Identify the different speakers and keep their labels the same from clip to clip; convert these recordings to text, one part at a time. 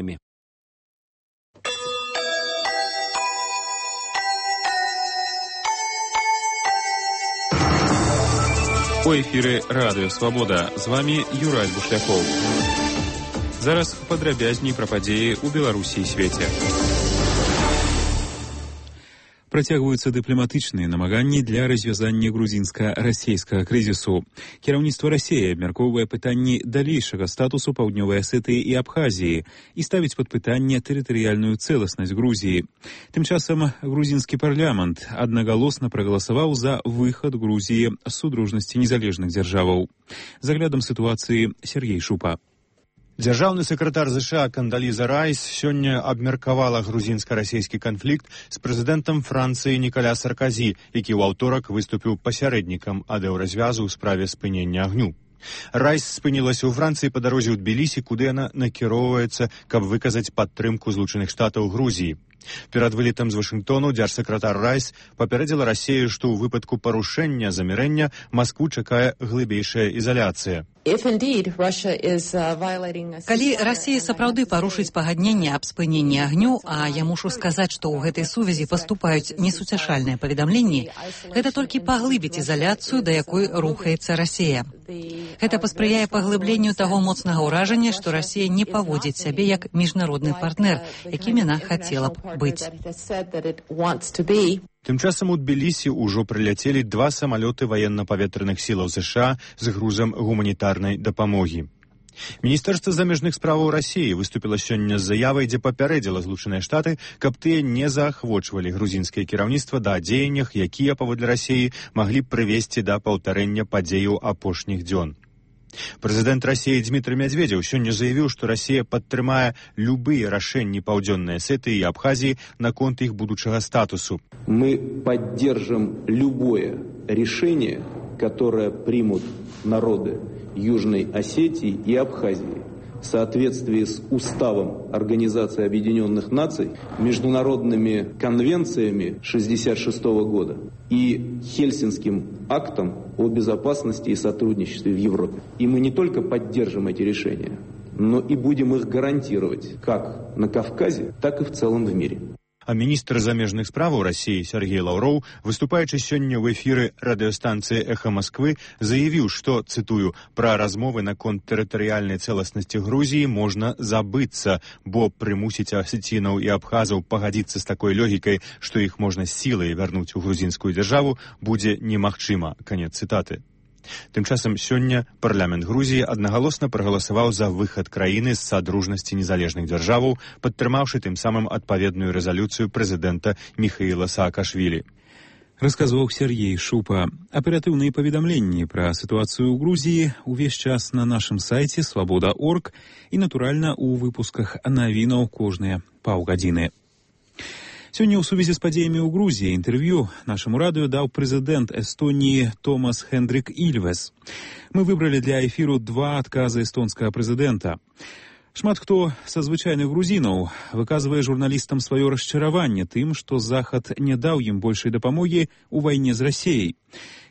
Speaker 1: незаконными.
Speaker 2: У эфіры Радыё Свабода. З вами Юрай Бушлякоў. Зараз падрабязней пра падзеі ў Беларусі і свеце. Працягваюцца дыпламатычныя намаганні для развязання грузінска-расейскага крызісу. Кіраўніцтва Расіі абмяркоўвае пытанні далейшага статусу Паўднёвай Асетыі і Абхазіі і ставіць пад пытанне тэрытарыяльную цэласнасць Грузіі. Тым часам грузінскі парламент аднагалосна прагаласаваў за выхад Грузіі з судружнасці незалежных дзяржаваў. З аглядам сітуацыі Сергей Шупа.
Speaker 3: Дзяржаўны сакратар ЗША Кандаліза Райс сёння абмеркавала грузінска-расейскі канфлікт з прэзідэнтам Францыі Нікаля Сарказі, які ў аўторак выступіў пасярэднікам ад еўразвязу ў справе спынення агню. Райс спынілася ў Францыі па дарозе ў Тбілісі, куды яна накіроўваецца, каб выказаць падтрымку Злучаных Штатаў Грузіі. Перад вылетам з Вашынгтону дзяржсакратар Райс папярэдзіла Расію, што ў выпадку парушэння замірэння Маскву чакае глыбейшая ізаляцыя.
Speaker 4: Калі Расія сапраўды парушыць пагадненне аб спыненні агню, а я мушу сказаць, што ў гэтай сувязі паступаюць несуцяшальныя паведамленні, гэта толькі паглыбіць ізаляцыю, да якой рухаецца Расія. Гэта паспрыяе паглыбленню таго моцнага ўражання, што Расія не паводзіць сябе як міжнародны партнер, якім яна хацела б быць.
Speaker 3: Тым часам у Тбілісі ўжо прыляцелі 2 самалёты ваенна-паветраных сілаў ЗША з грузам гуманітарнай дапамогі. Міністэрства замежных справаў Расіі выступіла сёння з заявай, дзе папярэдзіла Злучаныя Штаты, каб тыя не заахвочвалі грузінскае кіраўніцтва да дзеяннях, якія, паводле Расіі, маглі б прывесці да паўтарэння падзеяў апошніх дзён. Прэзідэнт Расіі Дмітрый Медведзеў сёння заявіў, што Расія падтрымае любыя рашэнні Паўдзённай Асетыі і Абхазіі наконт іх будучага статусу.
Speaker 5: Мы поддержим любое решение, которое примут народы Южной Осетии и Абхазии в соответствии с Уставом Организации Объединенных Наций, международными конвенциями 1966 года и Хельсинским актом о безопасности и сотрудничестве в Европе. И мы не только поддержим эти решения, но и будем их гарантировать как на Кавказе, так и в целом в мире.
Speaker 3: А міністр замежных справаў Расіі Сергей Лаўроў, выступаючы сёння ў эфіры радыёстанцыі «Эхо Москвы», заявіў, што, цытую, «пра размовы наконт тэрытарыяльнай цэласнасці Грузіі можна забыцца, бо прымусіць асецінаў і абхазаў пагадзіцца з такой логікай, што іх можна сілай вярнуць у грузінскую дзяржаву, будзе немагчыма». Канец цытаты. Тым часам сёння парламент Грузіі аднагалосна прагаласаваў за выхад краіны з садружнасці незалежных дзяржаваў, падтрымаўшы тым самым адпаведную рэзалюцыю прэзідэнта Міхаіла Саакашвілі.
Speaker 2: Расказваў Сергей Шупа. Аператыўныя паведамленні пра сітуацыю ў Грузіі увесь час на нашым сайце свабода.орг і, натуральна, у выпусках навінаў кожныя паўгадзіны. Сёння ў сувязі з падзеямі ў Грузіі інтэрв'ю нашаму радыё даў прэзідэнт Эстоніі Томас Хендрик Ільвес. Мы выбралі для эфіру 2 адказы эстонскага прэзідэнта. Шмат хто са звычайных грузінаў выказвае журналістам сваё расчараванне тым, што Захад не даў ім большай дапамогі ў вайне з Расіяй.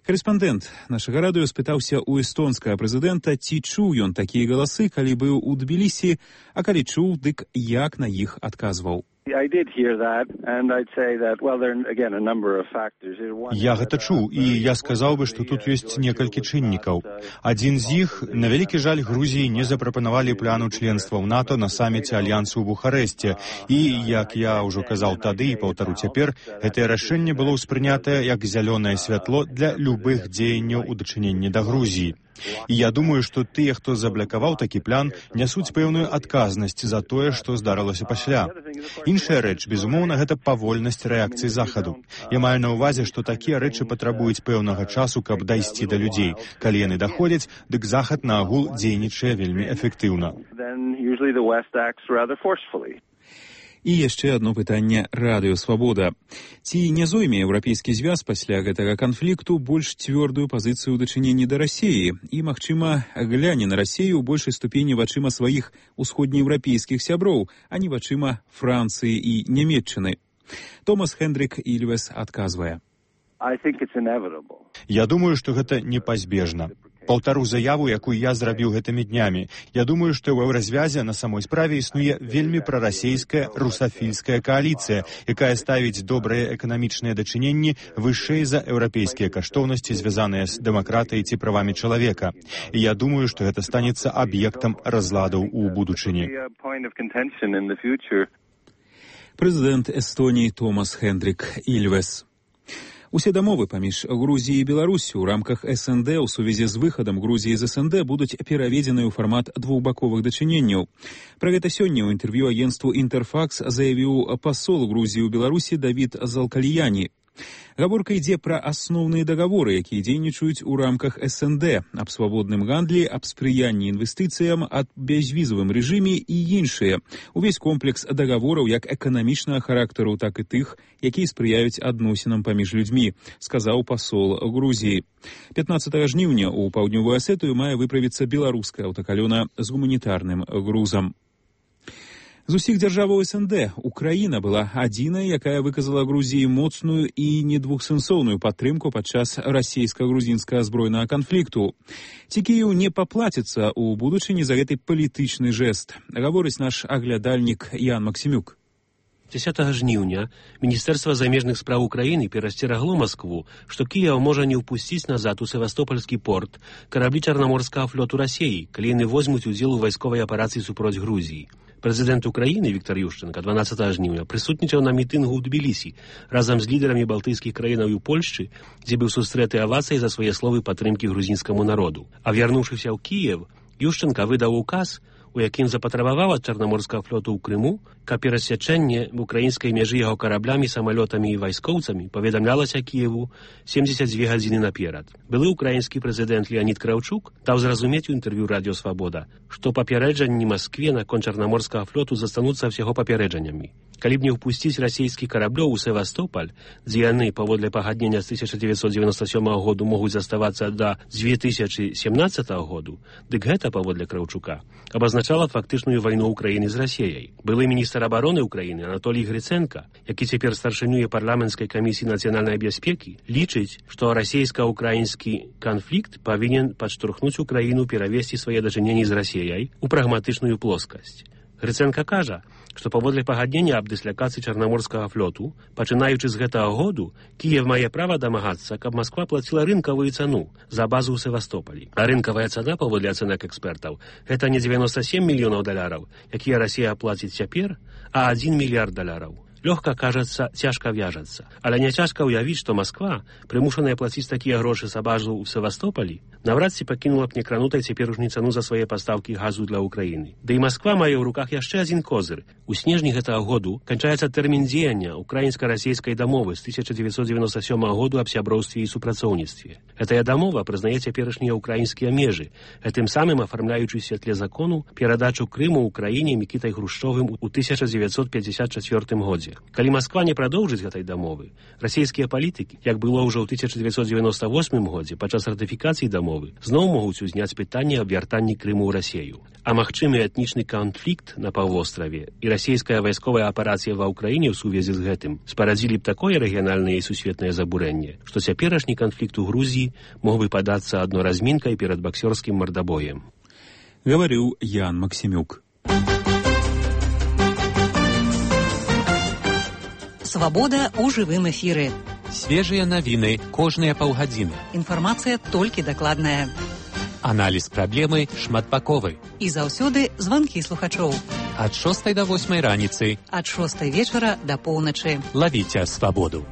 Speaker 2: Карэспандэнт нашага радыё спытаўся ў эстонскага прэзідэнта, ці чуў ён такія галасы, калі быў у Тбілісі, а калі чуў, дык як на іх адказваў.
Speaker 3: Я гэта чуў, і я сказаў бы, што тут ёсць некалькі чыннікаў. Адзін з іх, на вялікі жаль, Грузіі не запрапанавалі пляну членства ў НАТО на саміце Альянсу ў Бухарэсце. І, як я ўжо казаў тады і паўтару цяпер, гэтае рашэнне было ўспрынятае як зялёнае святло для любых дзеянняў у дачыненні да Грузіі. І я думаю, што тыя, хто заблакаваў такі план, нясуць пэўную адказнасць за тое, што здарылася пасля. Іншая рэч, безумоўна, гэта павольнасць рэакцыі Захаду. Я маю на ўвазе, што такія рэчы патрабуюць пэўнага часу, каб дайсці да людзей. Калі яны даходзяць, дык Захад на агул дзейнічае вельмі эфектыўна.
Speaker 2: І яшчэ адно пытанне Радыё Свабода. Ці не зойме Еўрапейскі звяз пасля гэтага канфлікту больш цвёрдую пазіцыю ў дачыненні да Расіі і, магчыма, гляне на Расію ў большай ступені вачыма сваіх усходнееўрапейскіх сяброў, а не вачыма Францыі і Нямецчыны? Томас Хендрик Ільвес адказвае.
Speaker 3: Я думаю, што гэта непазбежна. Паўтару заяву, якую я зрабіў гэтымі днямі. Я думаю, што ў еўразвязе на самой справе існуе вельмі прарасейская русафільская кааліцыя, якая ставіць добрыя эканамічныя дачыненні вышэй за еўрапейскія каштоўнасці, звязаныя з дэмакратыяй ці правамі чалавека. І я думаю, што гэта станецца аб'ектам разладаў у будучыні.
Speaker 2: Прэзідэнт Эстоніі Томас Хендрик Ільвес. Усе дамовы паміж Грузіяй і Беларусю ў рамках СНД ў сувязі з выхадам Грузіі з СНД будуць пераведзены ў фармат двухбаковых дачыненняў. Пра гэта сёння ў інтэрв'ю агенцтву «Інтэрфакс» заявіў пасол Грузіі ў Беларусі Давід Залкальяні. Гаворка ідзе пра асноўныя дагаворы, якія дзейнічаюць у рамках СНД, аб свабодным гандлі, аб спрыянні інвестыцыям, аб бязвізавым рэжыме і іншыя. Увесь комплекс дагавораў як эканамічнага характару, так і тых, якія спрыяюць адносінам паміж людзьмі, сказаў пасол Грузіі. 15 жніўня ў паўднёвую Асетыю мае выправіцца беларуская аўтакалёна з гуманітарным грузам. З усіх дзяржаваў СНД Украіна была адзінай, якая выказала Грузіі моцную і недвухсэнсоўную падтрымку падчас расійска-грузінскага збройнага канфлікту. Ці Кіеў не паплаціцца ў будучыні за гэты палітычны жэст, гаворыць наш аглядальнік Ян Максімюк.
Speaker 1: 10 жніўня Міністэрства замежных спраў Украіны перасцерагло Маскву, што Кіеў можа не ўпусціць назад у Севастопольскі порт караблі Чарнаморскага флоту Расіі, калі яны возьмуць удзел у вайсковай аперацыі супроць Грузіі. Прэзідэнт Украіны Віктор Ющенка 12 жніўня прысутнічаў на мітынгу ў Тбілісі разам з лідарамі балтыйскіх краінаў і Польшчы, дзе быў сустрэты авацыяй за свае словы падтрымкі грузінскаму народу. А вярнуўшыся ў Кіеў, Ющенка выдаў указ, у якім запатрабаваў ад Чарнаморскага флоту ў Крыму, каб перасячэнне в украінскай мяжы яго караблямі, самалётамі і вайскоўцамі паведамлялася Кіеву 72 гадзіны наперад. Былы украінскі прэзідэнт Леонід Краўчук даў зразумець у інтэрв'ю Радіо Свабода, што папярэджанні Маскве наконт Чарнаморскага флоту застануцца ўсяго папярэджаннямі. Калі б не ўпусціць расійскі караблёў у Севастополь, дзе яны, паводле пагаднення з 1997 году, могуць заставацца да 2017 году, дык гэта, паводле Краўчука, абазначала фактычную вайну Украіны з Расіяй. Былы міністр абароны Украіны Анатолій Гриценка, які цяпер старшынюе парламенцкай камісіі нацыянальнай бяспекі, лічыць, што расійска-украінскі канфлікт павінен падштурхнуць Украіну перавесці свае дачыненні з Расіяй у прагматычную плоскасць. Гриценка кажа, што паводле пагаднення аб дыслякацыі Чарнаморскага флоту, пачынаючы з гэтага году, Кіеў мае права дамагацца, каб Масква плаціла рынкавую цану за базу ў Севастополі. А рынкавая цана, паводле ацэнак экспертаў, гэта не 97 мільёнаў даляраў, якія Расія плаціць цяпер, а 1 мільярд даляраў. Лёгка, кажацца, цяжка вяжацца. Але не цяжка ўявіць, што Масква, прымушаная плаціць такія грошы за базу ў Севастополі, наврад ці пакінула б некранутай цяперашнюю цану за свае пастаўкі газу для Украіны. Да і Масква мае ў руках яшчэ адзін козыр. У снежні гэтага году канчаецца тэрмін дзеяння украінска-расійскай дамовы з 1997 году аб сяброўстве і супрацоўніцтве. Гэтая дамова прызнае цяперашнія украінскія межы, гэтым самым афармляючы ў святле закону перадачу Крыму Украіне Мікітай Хрушчовым у 1954 годзе. Калі Масква не прадоўжыць гэтай дамовы, расійскія палітыкі, як было ўжо ў 1998 годзе падчас ратыфікацыі дамовы, зноў могуць узняць пытанне аб вяртанні Крыму ў Расію. А магчымы этнічны канфлікт на паўвостраве і расійская вайсковая аперацыя ва ўкраіне ў сувязі з гэтым спарадзілі б такое рэгіянальнае і сусветнае забурэнне, што цяперашні канфлікт у Грузіі мог бы падацца адно размінкай перад баксёрскім мардабоем.
Speaker 2: Гаварыў Ян Максімюк.
Speaker 4: Свабода ў жывым эфіры.
Speaker 6: Свежыя навіны кожныя паўгадзіны.
Speaker 4: Інфармацыя толькі дакладная.
Speaker 6: Аналіз праблемы шматбаковы.
Speaker 4: І заўсёды званкі слухачоў.
Speaker 6: Ад 6 до 8 раніцы.
Speaker 4: Ад 6 вечара да поўначы.
Speaker 6: Лавіце свабоду.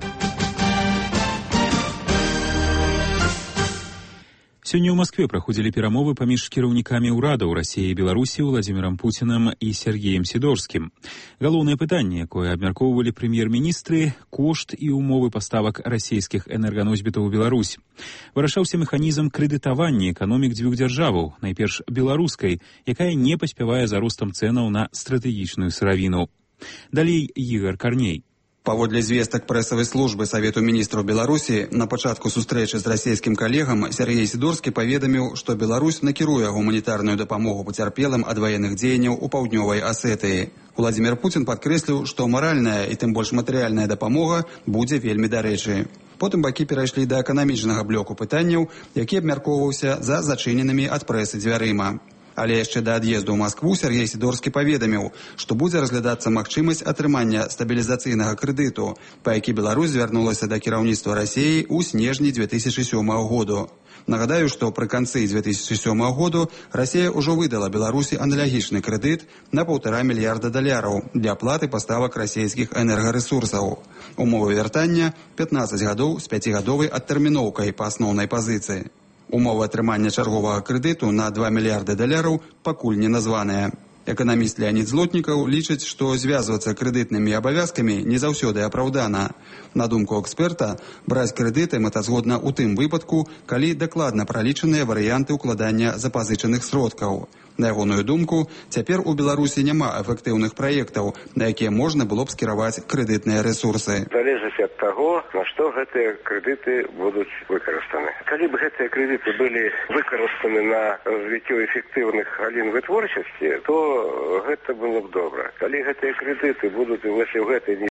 Speaker 2: Сёння ў Маскве праходзілі перамовы паміж кіраўнікамі ўрадаў Расіі і Беларусі Владзімірам Пуцінам і Сергеем Сідорскім. Галоўнае пытанне, якое абмяркоўвалі прэм'ер-міністры, кошт і ўмовы паставак расійскіх энерганосьбітаў у Беларусь. Вырашаўся механізм крэдытавання эканомік дзвюх дзяржаваў, найперш беларускай, якая не паспявае за ростам цэнаў на стратэгічную сыравіну. Далей Ігар Карней.
Speaker 7: Паводле звестак прэсавай службы Савету міністраў Беларусі, на пачатку сустрэчы з расійскім калегам Сергей Сідорскі паведаміў, што Беларусь накіруе гуманітарную дапамогу пацярпелым ад ваенных дзеянняў у паўднёвай Асетыі. Владзімір Пуцін падкрэсліў, што маральная і тым больш матэрыяльная дапамога будзе вельмі дарэчы. Потым бакі перайшлі да эканамічнага блоку пытанняў, які абмяркоўваўся за зачыненымі ад прэсы дзвярыма. Але яшчэ да ад'езду ў Маскву Сергей Сідорскі паведаміў, што будзе разглядацца магчымасць атрымання стабілізацыйнага крэдыту, па які Беларусь звярнулася да кіраўніцтва Расіі ў снежні 2007 году. Нагадаю, што пры канцы 2007 году Расія ўжо выдала Беларусі аналагічны крэдыт на $1,5 мільярда для аплаты паставак расійскіх энергарэсурсаў. Умовы вяртання 15 гадоў з 5-гадовай адтэрміноўкай па асноўнай пазіцыі. Умовы атрымання чарговага крэдыту на $2 мільярды пакуль не названыя. Эканаміст Леонід Злотнікаў лічыць, што звязвацца крэдытнымі абавязкамі не заўсёды апраўдана. На думку эксперта, браць крэдыты мэтазгодна ў тым выпадку, калі дакладна пралічаныя варыянты ўкладання запазычаных сродкаў. На ягоную думку, цяпер у Беларусі няма эфектыўных праектаў, на якія можна было б скіраваць крэдытныя рэсурсы.
Speaker 8: Залежыць ад таго, на што гэтыя крэдыты будуць выкарыстаны. Калі б гэтыя крэдыты былі выкарыстаны на развіццё эфектыўных галін вытворчасці, то гэта было б добра. Калі гэтыя крэдыты будуць у гэтай